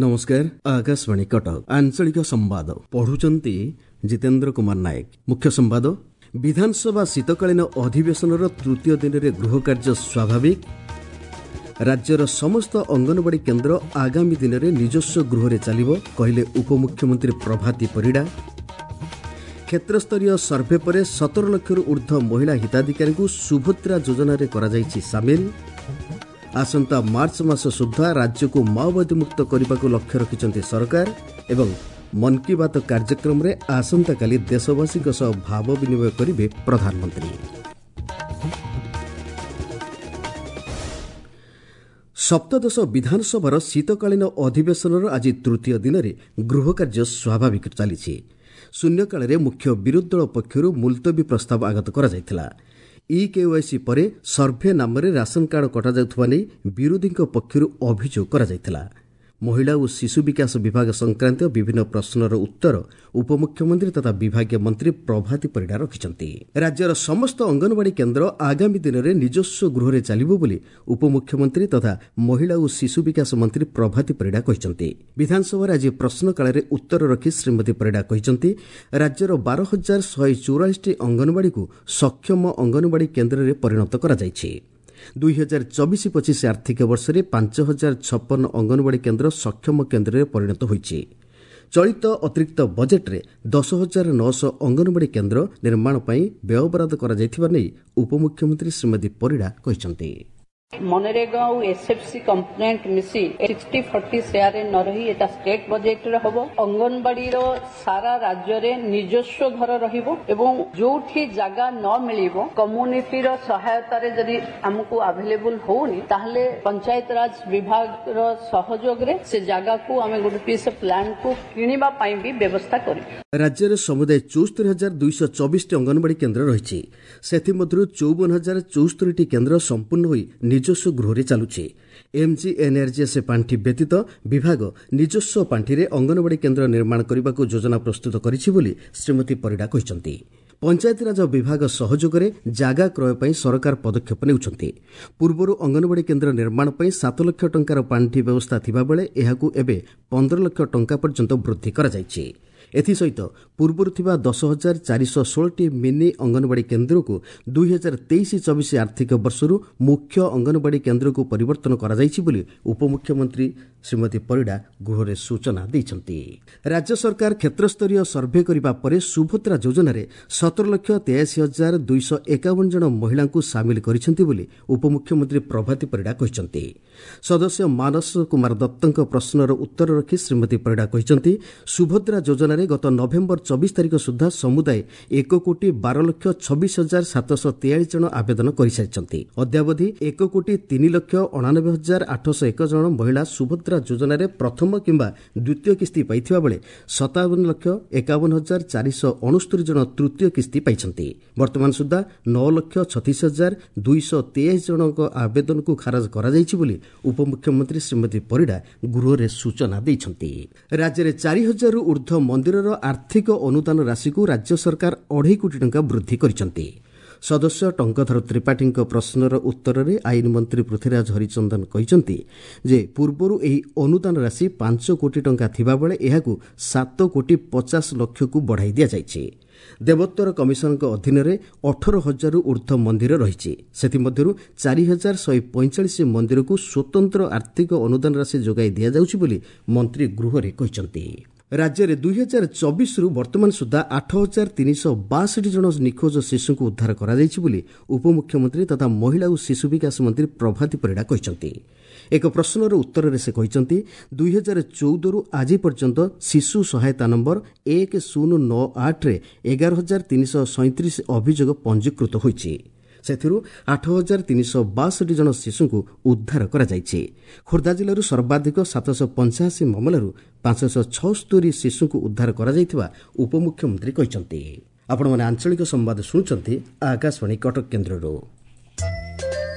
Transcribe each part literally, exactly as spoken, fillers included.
ନମସ୍କାର, ଆକାଶବାଣୀ କଟକ, ଆଞ୍ଚଳିକ ସମ୍ବାଦ ପଢୁଛନ୍ତି ଜିତେନ୍ଦ୍ର କୁମାର ନାୟକ। ମୁଖ୍ୟ ସମ୍ବାଦ। ବିଧାନସଭା ଶୀତକାଳୀନ ଅଧିବେଶନର ତୃତୀୟ ଦିନରେ ଗୃହ କାର୍ଯ୍ୟ ସ୍ୱାଭାବିକ। ରାଜ୍ୟର ସମସ୍ତ ଅଙ୍ଗନବାଡ଼ି କେନ୍ଦ୍ର ଆଗାମୀ ଦିନରେ ନିଜସ୍ୱ ଗୃହରେ ଚାଲିବ, କହିଲେ ଉପମୁଖ୍ୟମନ୍ତ୍ରୀ ପ୍ରଭାତୀ ପରିଡ଼ା। କ୍ଷେତ୍ରସ୍ତରୀୟ ସର୍ଭେ ପରେ ସତର ଲକ୍ଷରୁ ଉର୍ଦ୍ଧ୍ୱ ମହିଳା ହିତାଧିକାରୀଙ୍କୁ ସୁଭଦ୍ରା ଯୋଜନାରେ କରାଯାଇଛି ସାମିଲ। ଆସନ୍ତା ମାର୍ଚ୍ଚ ମାସ ସୁଦ୍ଧା ରାଜ୍ୟକୁ ମାଓବାଦୀ ମୁକ୍ତ କରିବାକୁ ଲକ୍ଷ୍ୟ ରଖିଛନ୍ତି ସରକାର। ଏବଂ ମନ୍ କି ବାତ୍ କାର୍ଯ୍ୟକ୍ରମରେ ଆସନ୍ତାକାଲି ଦେଶବାସୀଙ୍କ ସହ ଭାବ ବିନିମୟ କରିବେ ପ୍ରଧାନମନ୍ତ୍ରୀ। ସପ୍ତଦଶ ବିଧାନସଭାର ଶୀତକାଳୀନ ଅଧିବେଶନର ଆଜି ତୃତୀୟ ଦିନରେ ଗୃହକାର୍ଯ୍ୟ ସ୍ୱାଭାବିକ ଚାଲିଛି। ଶୂନ୍ୟକାଳରେ ମୁଖ୍ୟ ବିରୋଧୀ ଦଳ ପକ୍ଷରୁ ମୁଲତବୀ ପ୍ରସ୍ତାବ ଆଗତ କରାଯାଇଥିଲା। ଇ କେୱାଇସି ପରେ ସର୍ଭେ ନାମରେ ରାସନ କାର୍ଡ କଟାଯାଉଥିବା ନେଇ ବିରୋଧୀଙ୍କ ପକ୍ଷରୁ ଅଭିଯୋଗ କରାଯାଇଥିଲା। ମହିଳା ଓ ଶିଶୁ ବିକାଶ ବିଭାଗ ସଂକ୍ରାନ୍ତୀୟ ବିଭିନ୍ନ ପ୍ରଶ୍ନର ଉତ୍ତର ଉପମୁଖ୍ୟମନ୍ତ୍ରୀ ତଥା ବିଭାଗୀୟ ମନ୍ତ୍ରୀ ପ୍ରଭାତୀ ପରିଡ଼ା ରଖିଛନ୍ତି। ରାଜ୍ୟର ସମସ୍ତ ଅଙ୍ଗନବାଡ଼ି କେନ୍ଦ୍ର ଆଗାମୀ ଦିନରେ ନିଜସ୍ୱ ଗୃହରେ ଚାଲିବ ବୋଲି ଉପମୁଖ୍ୟମନ୍ତ୍ରୀ ତଥା ମହିଳା ଓ ଶିଶୁ ବିକାଶ ମନ୍ତ୍ରୀ ପ୍ରଭାତୀ ପରିଡ଼ା କହିଛନ୍ତି। ବିଧାନସଭାରେ ଆଜି ପ୍ରଶ୍ନକାଳରେ ଉତ୍ତର ରଖି ଶ୍ରୀମତୀ ପରିଡ଼ା କହିଛନ୍ତି, ରାଜ୍ୟର ବାର ହଜାର ଶହେ ଚଉରାଳିଶଟି ଅଙ୍ଗନବାଡ଼ିକୁ ସକ୍ଷମ ଅଙ୍ଗନବାଡ଼ି କେନ୍ଦ୍ରରେ ପରିଣତ କରାଯାଇଛି। ଦୁଇ ହଜାର ଚବିଶ ପଚିଶ ଆର୍ଥିକ ବର୍ଷରେ ପାଞ୍ଚ ହଜାର ଛପନ ଅଙ୍ଗନବାଡ଼ି କେନ୍ଦ୍ର ସକ୍ଷମ କେନ୍ଦ୍ରରେ ପରିଣତ ହୋଇଛି। ଚଳିତ ଅତିରିକ୍ତ ବଜେଟ୍ରେ ଦଶ ହଜାର ନଅଶହ ଅଙ୍ଗନବାଡ଼ି କେନ୍ଦ୍ର ନିର୍ମାଣ ପାଇଁ ବ୍ୟୟବରାଦ କରାଯାଇଥିବା ନେଇ ଉପମୁଖ୍ୟମନ୍ତ୍ରୀ ଶ୍ରୀମତୀ ପରିଡ଼ା କହିଛନ୍ତି। ମନରେଗା ଆଉ ଏସ୍ଏଫ୍ସି କମ୍ପୋନେଣ୍ଟ ମିଶି ସିକ୍ସଟି ଫର୍ଟି ସେୟାରରେ ନ ରହି ଏଟା ଷ୍ଟେଟ୍ ବଜେଟରେ ହବ। ଅଙ୍ଗନବାଡିର ସାରା ରାଜ୍ୟରେ ନିଜସ୍ୱ ଘର ରହିବ ଏବଂ ଯୋଉଠି ଜାଗା ନ ମିଳିବ, କମ୍ୟୁନିଟିର ସହାୟତାରେ ଯଦି ଆମକୁ ଆଭେଲେବୁଲ ହଉନି, ତାହେଲେ ପଞ୍ଚାୟତରାଜ ବିଭାଗର ସହଯୋଗରେ ସେ ଜାଗାକୁ ଆମେ ଗୋଟେ ପିସ୍ ଅଫ୍ ଲ୍ୟାଣ୍ଡକୁ କିଣିବା ପାଇଁ ବି ବ୍ୟବସ୍ଥା କରିବୁ। ରାଜ୍ୟରେ ସମୁଦାୟ ଚଉସ୍ତରୀ ହଜାର ଦୁଇଶହ ଚବିଶଟି ଅଙ୍ଗନବାଡ଼ି କେନ୍ଦ୍ର ରହିଛି। ସେଥିମଧ୍ୟରୁ ଚଉବନ ହଜାର ଚଉସ୍ତରୀଟି କେନ୍ଦ୍ର ସମ୍ପୂର୍ଣ୍ଣ ହୋଇ ନିଜସ୍ୱ ଗୃହରେ ଚାଲୁଛି। ଏମ୍ଜିଏନ୍ଆର୍ଜିଏସ୍ ପାଣ୍ଠି ବ୍ୟତୀତ ବିଭାଗ ନିଜସ୍ୱ ପାଣ୍ଠିରେ ଅଙ୍ଗନବାଡ଼ି କେନ୍ଦ୍ର ନିର୍ମାଣ କରିବାକୁ ଯୋଜନା ପ୍ରସ୍ତୁତ କରିଛି ବୋଲି ଶ୍ରୀମତୀ ପରିଡ଼ା କହିଛନ୍ତି। ପଞ୍ଚାୟତିରାଜ ବିଭାଗ ସହଯୋଗରେ ଜାଗା କ୍ରୟ ପାଇଁ ସରକାର ପଦକ୍ଷେପ ନେଉଛନ୍ତି। ପୂର୍ବରୁ ଅଙ୍ଗନବାଡ଼ି କେନ୍ଦ୍ର ନିର୍ମାଣ ପାଇଁ ସାତ ଲକ୍ଷ ଟଙ୍କାର ପାଣ୍ଠି ବ୍ୟବସ୍ଥା ଥିବାବେଳେ ଏହାକୁ ଏବେ ପନ୍ଦର ଲକ୍ଷ ଟଙ୍କା ପର୍ଯ୍ୟନ୍ତ ବୃଦ୍ଧି କରାଯାଇଛି। ଏଥିସହିତ ପୂର୍ବରୁ ଥିବା ଦଶ ହଜାର ଚାରିଶହ ଷୋହଳଟି ମିନି ଅଙ୍ଗନବାଡ଼ି କେନ୍ଦ୍ରକୁ ଦୁଇ ହଜାର ତେଇଶ ଚବିଶ ଆର୍ଥିକ ବର୍ଷରୁ ମୁଖ୍ୟ ଅଙ୍ଗନବାଡ଼ି କେନ୍ଦ୍ରକୁ ପରିବର୍ତ୍ତନ କରାଯାଇଛି ବୋଲି ଉପମୁଖ୍ୟମନ୍ତ୍ରୀ ଶ୍ରୀମତୀ ପରିଡ଼ା ଗୃହରେ ସୂଚନା ଦେଇଛନ୍ତି। ରାଜ୍ୟ ସରକାର କ୍ଷେତ୍ରସ୍ତରୀୟ ସର୍ଭେ କରିବା ପରେ ସୁଭଦ୍ରା ଯୋଜନାରେ ସତର ଲକ୍ଷ ତେୟାଅଶୀ ହଜାର ଦୁଇଶହ ଏକାବନ ଜଣ ମହିଳାଙ୍କୁ ସାମିଲ କରିଛନ୍ତି ବୋଲି ଉପମୁଖ୍ୟମନ୍ତ୍ରୀ ପ୍ରଭାତୀ ପରିଡ଼ା କହିଛନ୍ତି। ସଦସ୍ୟ ମାନସ କୁମାର ଦତ୍ତଙ୍କ ପ୍ରଶ୍ନର ଉତ୍ତର ରଖି ଶ୍ରୀମତୀ ପରିଡ଼ା କହିଛନ୍ତି, ସୁଭଦ୍ରା ଯୋଜନାରେ ଗତ ନଭେମ୍ବର ଚବିଶ ତାରିଖ ସୁଦ୍ଧା ସମୁଦାୟ ଏକ କୋଟି ବାର ଲକ୍ଷ ଛବିଶ ହଜାର ସାତଶହ ତେୟାଳିଶ ଜଣ ଆବେଦନ କରିସାରିଛନ୍ତି। ଅଦ୍ୟାବଧି ଏକ କୋଟି ତିନି ଲକ୍ଷ ଅଣାନବେ ହଜାର ଆଠଶହ ଏକ ଜଣ ମହିଳା ସୁଭଦ୍ରା ଯୋଜନାରେ ପ୍ରଥମ କିମ୍ବା ଦ୍ୱିତୀୟ କିସ୍ତି ପାଇଥିବା ବେଳେ ସତାବନ ଲକ୍ଷ ଏକାବନ ହଜାର ଚାରିଶହ ଅଣସ୍ତରୀ ଜଣ ତୃତୀୟ କିସ୍ତି ପାଇଛନ୍ତି। ବର୍ତ୍ତମାନ ସୁଦ୍ଧା ନଅ ଲକ୍ଷ ଛତିଶ ହଜାର ଦୁଇଶହ ତେୟାଅଶୀ ଜଣଙ୍କ ଆବେଦନକୁ ଖାରଜ କରାଯାଇଛି ବୋଲି ଉପମୁଖ୍ୟମନ୍ତ୍ରୀ ଶ୍ରୀମତୀ ପରିଡ଼ା ଗୃହରେ ସୂଚନା ଦେଇଛନ୍ତି। ରାଜ୍ୟରେ ଚାରି ହଜାରରୁ ଉର୍ଦ୍ଧ୍ୱ ମନ୍ଦିରର ଆର୍ଥିକ ଅନୁଦାନ ରାଶିକୁ ରାଜ୍ୟ ସରକାର ଅଢ଼େଇ କୋଟି ଟଙ୍କା ବୃଦ୍ଧି କରିଛନ୍ତି। ସଦସ୍ୟ ଟଙ୍କଧର ତ୍ରିପାଠୀଙ୍କ ପ୍ରଶ୍ନର ଉତ୍ତରରେ ଆଇନ ମନ୍ତ୍ରୀ ପୃଥ୍ୱୀରାଜ ହରିଚନ୍ଦନ କହିଛନ୍ତି ଯେ ପୂର୍ବରୁ ଏହି ଅନୁଦାନ ରାଶି ପାଞ୍ଚ କୋଟି ଟଙ୍କା ଥିବାବେଳେ ଏହାକୁ ସାତ କୋଟି ପଚାଶ ଲକ୍ଷକୁ ବଢ଼ାଇ ଦିଆଯାଇଛି। ଦେବୋତ୍ତର କମିଶନଙ୍କ ଅଧୀନରେ ଅଠର ହଜାରରୁ ଉର୍ଦ୍ଧ୍ୱ ମନ୍ଦିର ରହିଛି। ସେଥିମଧ୍ୟରୁ ଚାରି ହଜାର ଶହେ ପଇଁଚାଳିଶ ମନ୍ଦିରକୁ ସ୍ୱତନ୍ତ୍ର ଆର୍ଥିକ ଅନୁଦାନ ରାଶି ଯୋଗାଇ ଦିଆଯାଉଛି ବୋଲି ମନ୍ତ୍ରୀ ଗୃହରେ କହିଛନ୍ତି। ରାଜ୍ୟରେ ଦୁଇ ହଜାର ଚବିଶରୁ ବର୍ତ୍ତମାନ ସୁଦ୍ଧା ଆଠ ହଜାର ତିନିଶହ ବାଷଠି ଜଣ ନିଖୋଜ ଶିଶୁଙ୍କୁ ଉଦ୍ଧାର କରାଯାଇଛି ବୋଲି ଉପମୁଖ୍ୟମନ୍ତ୍ରୀ ତଥା ମହିଳା ଓ ଶିଶୁ ବିକାଶ ମନ୍ତ୍ରୀ ପ୍ରଭାତୀ ପରିଡ଼ା କହିଛନ୍ତି। ଏକ ପ୍ରଶ୍ନର ଉତ୍ତରରେ ସେ କହିଛନ୍ତି, ଦୁଇ ହଜାର ଚଉଦରୁ ଆଜି ପର୍ଯ୍ୟନ୍ତ ଶିଶୁ ସହାୟତା ନମ୍ବର ଏକ ଶୂନ ନଅ ଆଠରେ ଏଗାର ହଜାର ତିନିଶହ ସଇଁତିରିଶ ଅଭିଯୋଗ ପଞ୍ଜୀକୃତ ହୋଇଛି। ସେଥିରୁ ଆଠ ହଜାର ତିନିଶହ ବାଷଠି ଜଣ ଶିଶୁଙ୍କୁ ଉଦ୍ଧାର କରାଯାଇଛି। ଖୋର୍ଦ୍ଧା ଜିଲ୍ଲାରୁ ସର୍ବାଧିକ ସାତଶହ ପଞ୍ଚାଅଶୀ ମାମଲାରୁ ପାଞ୍ଚଶହ ଛଅସ୍ତରୀ ଶିଶୁଙ୍କୁ ଉଦ୍ଧାର କରାଯାଇଥିବା ଉପମୁଖ୍ୟମନ୍ତ୍ରୀ କହିଛନ୍ତି। ଆପଣମାନେ ଆଞ୍ଚଳିକ ସମ୍ବାଦ ଶୁଣୁଛନ୍ତି ଆକାଶବାଣୀ କଟକ କେନ୍ଦ୍ରରୁ।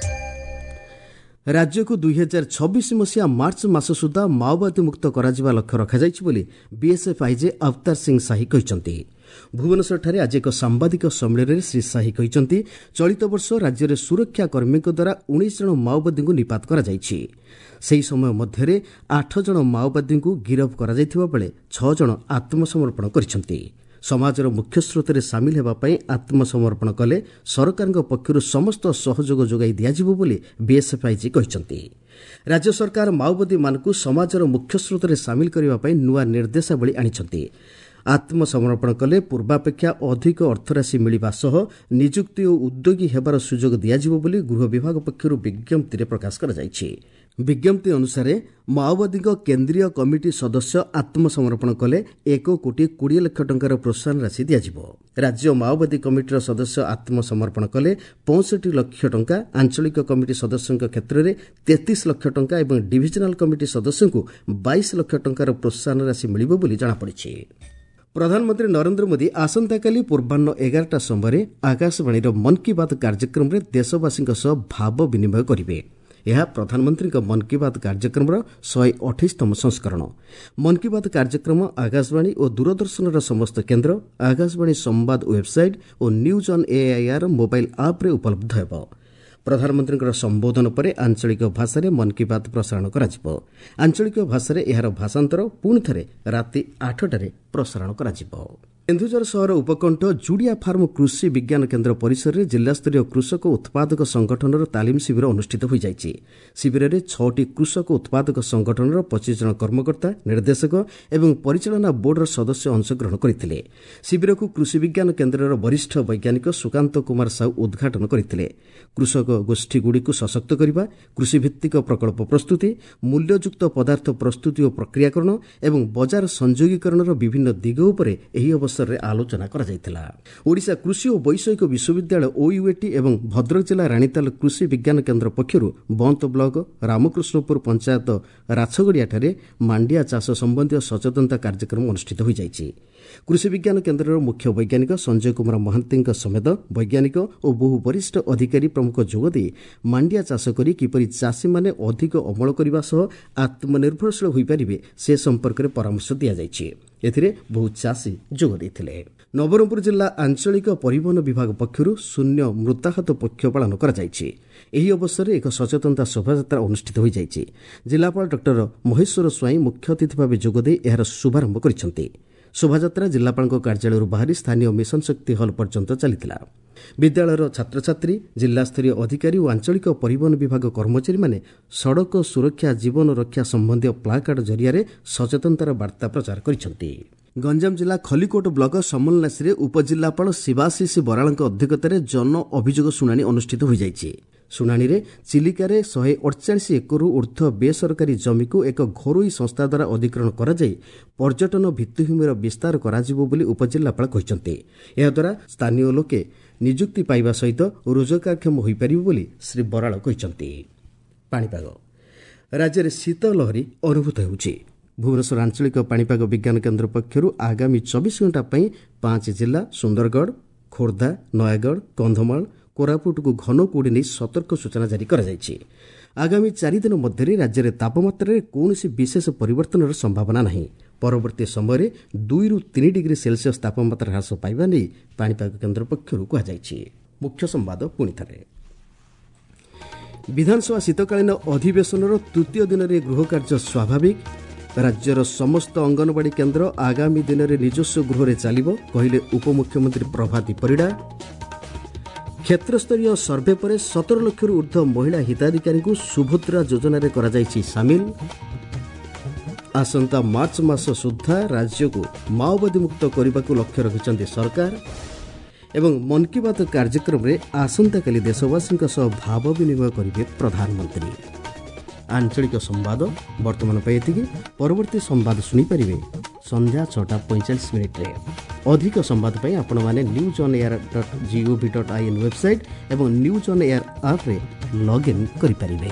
ରାଜ୍ୟକୁ ଦୁଇ ହଜାର ଛବିଶ ମସିହା ମାର୍ଚ୍ଚ ମାସ ସୁଦ୍ଧା ମାଓବାଦୀ ମୁକ୍ତ କରାଯିବା ଲକ୍ଷ୍ୟ ରଖାଯାଇଛି ବୋଲି ବିଏସ୍ଏଫ୍ ଆଇଜି ଅବତାର ସିଂ ସାହି କହିଛନ୍ତି। ଭୁବନେଶ୍ୱରଠାରେ ଆଜି ଏକ ସାମ୍ବାଦିକ ସମ୍ମିଳନୀରେ ଶ୍ରୀ ଶାହି କହିଛନ୍ତି, ଚଳିତ ବର୍ଷ ରାଜ୍ୟରେ ସୁରକ୍ଷା କର୍ମୀଙ୍କ ଦ୍ୱାରା ଉଣେଇଶ ଜଣ ମାଓବାଦୀଙ୍କୁ ନିପାତ କରାଯାଇଛି। ସେହି ସମୟ ମଧ୍ୟରେ ଆଠ ଜଣ ମାଓବାଦୀଙ୍କୁ ଗିରଫ କରାଯାଇଥିବା ବେଳେ ଛଅ ଜଣ ଆତ୍ମସମର୍ପଣ କରିଛନ୍ତି। ସମାଜର ମୁଖ୍ୟସ୍ରୋତରେ ସାମିଲ ହେବା ପାଇଁ ଆତ୍ମସମର୍ପଣ କଲେ ସରକାରଙ୍କ ପକ୍ଷରୁ ସମସ୍ତ ସହଯୋଗ ଯୋଗାଇ ଦିଆଯିବ ବୋଲି ବିଏସ୍ଏଫ୍ ଆଇଜି କହିଛନ୍ତି। ରାଜ୍ୟ ସରକାର ମାଓବାଦୀମାନଙ୍କୁ ସମାଜର ମୁଖ୍ୟସ୍ରୋତରେ ସାମିଲ କରିବା ପାଇଁ ନୂଆ ନିର୍ଦ୍ଦେଶାବଳୀ ଆଣିଛନ୍ତି। ଆତ୍ମସମର୍ପଣ କଲେ ପୂର୍ବାପେକ୍ଷା ଅଧିକ ଅର୍ଥରାଶି ମିଳିବା ସହ ନିଯୁକ୍ତି ଓ ଉଦ୍ୟୋଗୀ ହେବାର ସୁଯୋଗ ଦିଆଯିବ ବୋଲି ଗୃହ ବିଭାଗ ପକ୍ଷରୁ ବିଜ୍ଞପ୍ତିରେ ପ୍ରକାଶ କରାଯାଇଛି। ବିଜ୍ଞପ୍ତି ଅନୁସାରେ ମାଓବାଦୀଙ୍କ କେନ୍ଦ୍ରୀୟ କମିଟି ସଦସ୍ୟ ଆତ୍ମସମର୍ପଣ କଲେ ଏକ କୋଟି କୋଡ଼ିଏ ଲକ୍ଷ ଟଙ୍କାର ପ୍ରୋତ୍ସାହନ ରାଶି ଦିଆଯିବ। ରାଜ୍ୟ ମାଓବାଦୀ କମିଟିର ସଦସ୍ୟ ଆତ୍ମସମର୍ପଣ କଲେ ପଞ୍ଚଷଠି ଲକ୍ଷ ଟଙ୍କା, ଆଞ୍ଚଳିକ କମିଟି ସଦସ୍ୟଙ୍କ କ୍ଷେତ୍ରରେ ତେତିଶ ଲକ୍ଷ ଟଙ୍କା ଏବଂ ଡିଭିଜନାଲ କମିଟି ସଦସ୍ୟଙ୍କୁ ବାଇଶ ଲକ୍ଷ ଟଙ୍କାର ପ୍ରୋତ୍ସାହନ ରାଶି ମିଳିବ ବୋଲି ଜଣାପଡ଼ିଛି। ପ୍ରଧାନମନ୍ତ୍ରୀ ନରେନ୍ଦ୍ର ମୋଦି ଆସନ୍ତାକାଲି ପୂର୍ବାହ୍ନ ଏଗାରଟା ସମୟରେ ଆକାଶବାଣୀର ମନ୍ କି ବାତ୍ କାର୍ଯ୍ୟକ୍ରମରେ ଦେଶବାସୀଙ୍କ ସହ ଭାବ ବିନିମୟ କରିବେ। ଏହା ପ୍ରଧାନମନ୍ତ୍ରୀଙ୍କ ମନ୍ କି ବାତ୍ କାର୍ଯ୍ୟକ୍ରମର ଶହେ ଅଠେଇଶତମ ସଂସ୍କରଣ। ମନ୍ କି ବାତ୍ କାର୍ଯ୍ୟକ୍ରମ ଆକାଶବାଣୀ ଓ ଦୂରଦର୍ଶନର ସମସ୍ତ କେନ୍ଦ୍ର, ଆକାଶବାଣୀ ସମ୍ବାଦ website O news on AIR mobile ଆପ୍ରେ ଉପଲବ୍ଧ ହେବ। ପ୍ରଧାନମନ୍ତ୍ରୀଙ୍କର ସମ୍ବୋଧନ ପରେ ଆଞ୍ଚଳିକ ଭାଷାରେ ମନ୍ କି ବାତ୍ ପ୍ରସାରଣ କରାଯିବ। ଆଞ୍ଚଳିକ ଭାଷାରେ ଏହାର ଭାଷାନ୍ତର ପୁଣି ଥରେ ରାତି ଆଠଟାରେ ପ୍ରସାରଣ କରାଯିବ। କେନ୍ଦୁଝର ସହର ଉପକଣ୍ଠ ଜୁଡ଼ିଆ ଫାର୍ମ କୃଷି ବିଜ୍ଞାନ କେନ୍ଦ୍ର ପରିସରରେ ଜିଲ୍ଲାସ୍ତରୀୟ କୃଷକ ଉତ୍ପାଦକ ସଂଗଠନର ତାଲିମ ଶିବିର ଅନୁଷ୍ଠିତ ହୋଇଯାଇଛି। ଶିବିରରେ ଛଅଟି କୃଷକ ଉତ୍ପାଦକ ସଂଗଠନର ପଚିଶ ଜଣ କର୍ମକର୍ତ୍ତା, ନିର୍ଦ୍ଦେଶକ ଏବଂ ପରିଚାଳନା ବୋର୍ଡର ସଦସ୍ୟ ଅଂଶଗ୍ରହଣ କରିଥିଲେ। ଶିବିରକୁ କୃଷି ବିଜ୍ଞାନ କେନ୍ଦ୍ରର ବରିଷ୍ଠ ବୈଜ୍ଞାନିକ ସୁକାନ୍ତ କୁମାର ସାହୁ ଉଦ୍ଘାଟନ କରିଥିଲେ। କୃଷକ ଗୋଷ୍ଠୀଗୁଡ଼ିକୁ ସଶକ୍ତ କରିବା, କୃଷିଭିତ୍ତିକ ପ୍ରକଳ୍ପ ପ୍ରସ୍ତୁତି, ମୂଲ୍ୟଯୁକ୍ତ ପଦାର୍ଥ ପ୍ରସ୍ତୁତି ଓ ପ୍ରକ୍ରିୟାକରଣ ଏବଂ ବଜାର ସଂଯୋଗୀକରଣର ବିଭିନ୍ନ ଦିଗ ଉପରେ ଏହି ଅବସରରେ ଆଲୋଚନା କରାଯାଇଥିଲା। ଓଡ଼ିଶା କୃଷି ଓ ବୈଷୟିକ ବିଶ୍ୱବିଦ୍ୟାଳୟ ଓୟୁଏଟି ଏବଂ ଭଦ୍ରକ ଜିଲ୍ଲା ରାଣୀତାଲ କୃଷି ବିଜ୍ଞାନ କେନ୍ଦ୍ର ପକ୍ଷରୁ ବନ୍ତ ବ୍ଲକ ରାମକୃଷ୍ଣପୁର ପଞ୍ଚାୟତ ରାଛଗଡ଼ିଆଠାରେ ମାଣ୍ଡିଆ ଚାଷ ସମ୍ବନ୍ଧୀୟ ସଚେତନତା କାର୍ଯ୍ୟକ୍ରମ ଅନୁଷ୍ଠିତ ହୋଇଯାଇଛି। କୃଷି ବିଜ୍ଞାନ କେନ୍ଦ୍ରର ମୁଖ୍ୟ ବୈଜ୍ଞାନିକ ସଞ୍ଜୟ କୁମାର ମହାନ୍ତିଙ୍କ ସମେତ ବୈଜ୍ଞାନିକ ଓ ବହୁ ବରିଷ୍ଠ ଅଧିକାରୀ ପ୍ରମୁଖ ଯୋଗଦେଇ ମାଣ୍ଡିଆ ଚାଷ କରି କିପରି ଚାଷୀମାନେ ଅଧିକ ଅମଳ କରିବା ସହ ଆତ୍ମନିର୍ଭରଶୀଳ ହୋଇପାରିବେ ସେ ସମ୍ପର୍କରେ ପରାମର୍ଶ ଦିଆଯାଇଛି। ଏଥିରେ ବହୁ ଚାଷୀ ଯୋଗ ଦେଇଥିଲେ। ନବରଙ୍ଗପୁର ଜିଲ୍ଲା ଆଞ୍ଚଳିକ ପରିବହନ ବିଭାଗ ପକ୍ଷରୁ ଶୂନ୍ୟ ମୃତାହତ ପକ୍ଷ ପାଳନ କରାଯାଇଛି। ଏହି ଅବସରରେ ଏକ ସଚେତନତା ଶୋଭାଯାତ୍ରା ଅନୁଷ୍ଠିତ ହୋଇଯାଇଛି। ଜିଲ୍ଲାପାଳ ଡକ୍ଟର ମହେଶ୍ୱର ସ୍ୱାଇଁ ମୁଖ୍ୟ ଅତିଥି ଭାବେ ଯୋଗଦେଇ ଏହାର ଶୁଭାରମ୍ଭ କରିଛନ୍ତି। ଶୋଭାଯାତ୍ରା ଜିଲ୍ଲାପାଳଙ୍କ କାର୍ଯ୍ୟାଳୟରୁ ବାହାରି ସ୍ଥାନୀୟ ମିଶନ ଶକ୍ତି ହଲ୍ ପର୍ଯ୍ୟନ୍ତ ଚାଲିଥିଲା। ବିଦ୍ୟାଳୟର ଛାତ୍ରଛାତ୍ରୀ, ଜିଲ୍ଲାସ୍ତରୀୟ ଅଧିକାରୀ ଓ ଆଞ୍ଚଳିକ ପରିବହନ ବିଭାଗ କର୍ମଚାରୀମାନେ ସଡ଼କ ସୁରକ୍ଷା ଜୀବନ ରକ୍ଷା ସମ୍ବନ୍ଧୀୟ ପ୍ଲାକାର୍ଡ ଜରିଆରେ ସଚେତନତାର ବାର୍ତ୍ତା ପ୍ରଚାର କରିଛନ୍ତି। ଗଞ୍ଜାମ ଜିଲ୍ଲା ଖଲିକୋଟ ବ୍ଲକ ସମଲନାସିରେ ଉପଜିଲ୍ଲାପାଳ ଶିବାଶିଷ ବରାଳଙ୍କ ଅଧ୍ୟକ୍ଷତାରେ ଜନ ଅଭିଯୋଗ ଶୁଣାଣି ଅନୁଷ୍ଠିତ ହୋଇଯାଇଛି। ଶୁଣାଣିରେ ଚିଲିକାରେ ଶହେ ଅଠଚାଳିଶ ଏକରରୁ ଉର୍ଦ୍ଧ୍ୱ ବେସରକାରୀ ଜମିକୁ ଏକ ଘରୋଇ ସଂସ୍ଥା ଦ୍ୱାରା ଅଧିଗ୍ରହଣ କରାଯାଇ ପର୍ଯ୍ୟଟନ ଭିତ୍ତିଭୂମିର ବିସ୍ତାର କରାଯିବ ବୋଲି ଉପଜିଲ୍ଲାପାଳ କହିଛନ୍ତି। ଏହାଦ୍ୱାରା ସ୍ଥାନୀୟ ଲୋକେ ନିଯୁକ୍ତି ପାଇବା ସହିତ ରୋଜଗାରକ୍ଷମ ହୋଇପାରିବେ ବୋଲି ଶ୍ରୀ ବରାଳ କହିଛନ୍ତି। ପାଣିପାଗ ରାଜ୍ୟରେ ଶୀତ ଲହରୀ ଅନୁଭୂତ ହେଉଛି। ଭୁବନେଶ୍ୱର ଆଞ୍ଚଳିକ ପାଣିପାଗ ବିଜ୍ଞାନ କେନ୍ଦ୍ର ପକ୍ଷରୁ ଆଗାମୀ ଚବିଶ ଘଣ୍ଟା ପାଇଁ ପାଞ୍ଚ ଜିଲ୍ଲା ସୁନ୍ଦରଗଡ଼, ଖୋର୍ଦ୍ଧା, ନୟାଗଡ଼, କନ୍ଧମାଳ, କୋରାପୁଟକୁ ଘନ କୁହୁଡ଼ି ନେଇ ସତର୍କ ସୂଚନା ଜାରି କରାଯାଇଛି। ଆଗାମୀ ଚାରିଦିନ ମଧ୍ୟରେ ରାଜ୍ୟରେ ତାପମାତ୍ରାରେ କୌଣସି ବିଶେଷ ପରିବର୍ତ୍ତନର ସମ୍ଭାବନା ନାହିଁ। ପରବର୍ତ୍ତୀ ସମୟରେ ଦୁଇରୁ ତିନି ଡିଗ୍ରୀ ସେଲସିୟସ୍ ତାପମାତ୍ରା ହ୍ରାସ ପାଇବା ନେଇ ପାଣିପାଗ କେନ୍ଦ୍ର ପକ୍ଷରୁ କୁହାଯାଇଛି। ମୁଖ୍ୟ ସମ୍ବାଦ ପୁଣିଥରେ। ବିଧାନସଭା ଶୀତକାଳୀନ ଅଧିବେଶନର ତୃତୀୟ ଦିନରେ ଗୃହକାର୍ଯ୍ୟ ସ୍ୱାଭାବିକ। ରାଜ୍ୟର ସମସ୍ତ ଅଙ୍ଗନବାଡ଼ି କେନ୍ଦ୍ର ଆଗାମୀ ଦିନରେ ନିଜସ୍ୱ ଗୃହରେ ଚାଲିବ, କହିଲେ ଉପମୁଖ୍ୟମନ୍ତ୍ରୀ ପ୍ରଭାତୀ ପରିଡ଼ା। କ୍ଷେତ୍ରସ୍ତରୀୟ ସର୍ଭେ ପରେ ସତର ଲକ୍ଷରୁ ଉର୍ଦ୍ଧ୍ୱ ମହିଳା ହିତାଧିକାରୀଙ୍କୁ ସୁଭଦ୍ରା ଯୋଜନାରେ କରାଯାଇଛି ସାମିଲ। ଆସନ୍ତା ମାର୍ଚ୍ଚ ମାସ ସୁଦ୍ଧା ରାଜ୍ୟକୁ ମାଓବାଦୀ ମୁକ୍ତ କରିବାକୁ ଲକ୍ଷ୍ୟ ରଖିଛନ୍ତି ସରକାର। ଏବଂ ମନ୍ କି ବାତ୍ କାର୍ଯ୍ୟକ୍ରମରେ ଆସନ୍ତାକାଲି ଦେଶବାସୀଙ୍କ ସହ ଭାବ ବିନିମୟ କରିବେ ପ୍ରଧାନମନ୍ତ୍ରୀ। ଆଞ୍ଚଳିକ ସମ୍ବାଦ ବର୍ତ୍ତମାନ ପାଇଁ ଏତିକି। ପରବର୍ତ୍ତୀ ସମ୍ବାଦ ଶୁଣିପାରିବେ ସନ୍ଧ୍ୟା ଛଅଟା ପଇଁଚାଳିଶ ମିନିଟ୍ରେ। ଅଧିକ ସମ୍ବାଦ ପାଇଁ ଆପଣମାନେ news on air dot gov dot I N website ଏବଂ ନ୍ୟୁଜ୍ ଅନ୍ ଏୟାର ଆପ୍ରେ ଲଗ୍ଇନ୍ କରିପାରିବେ।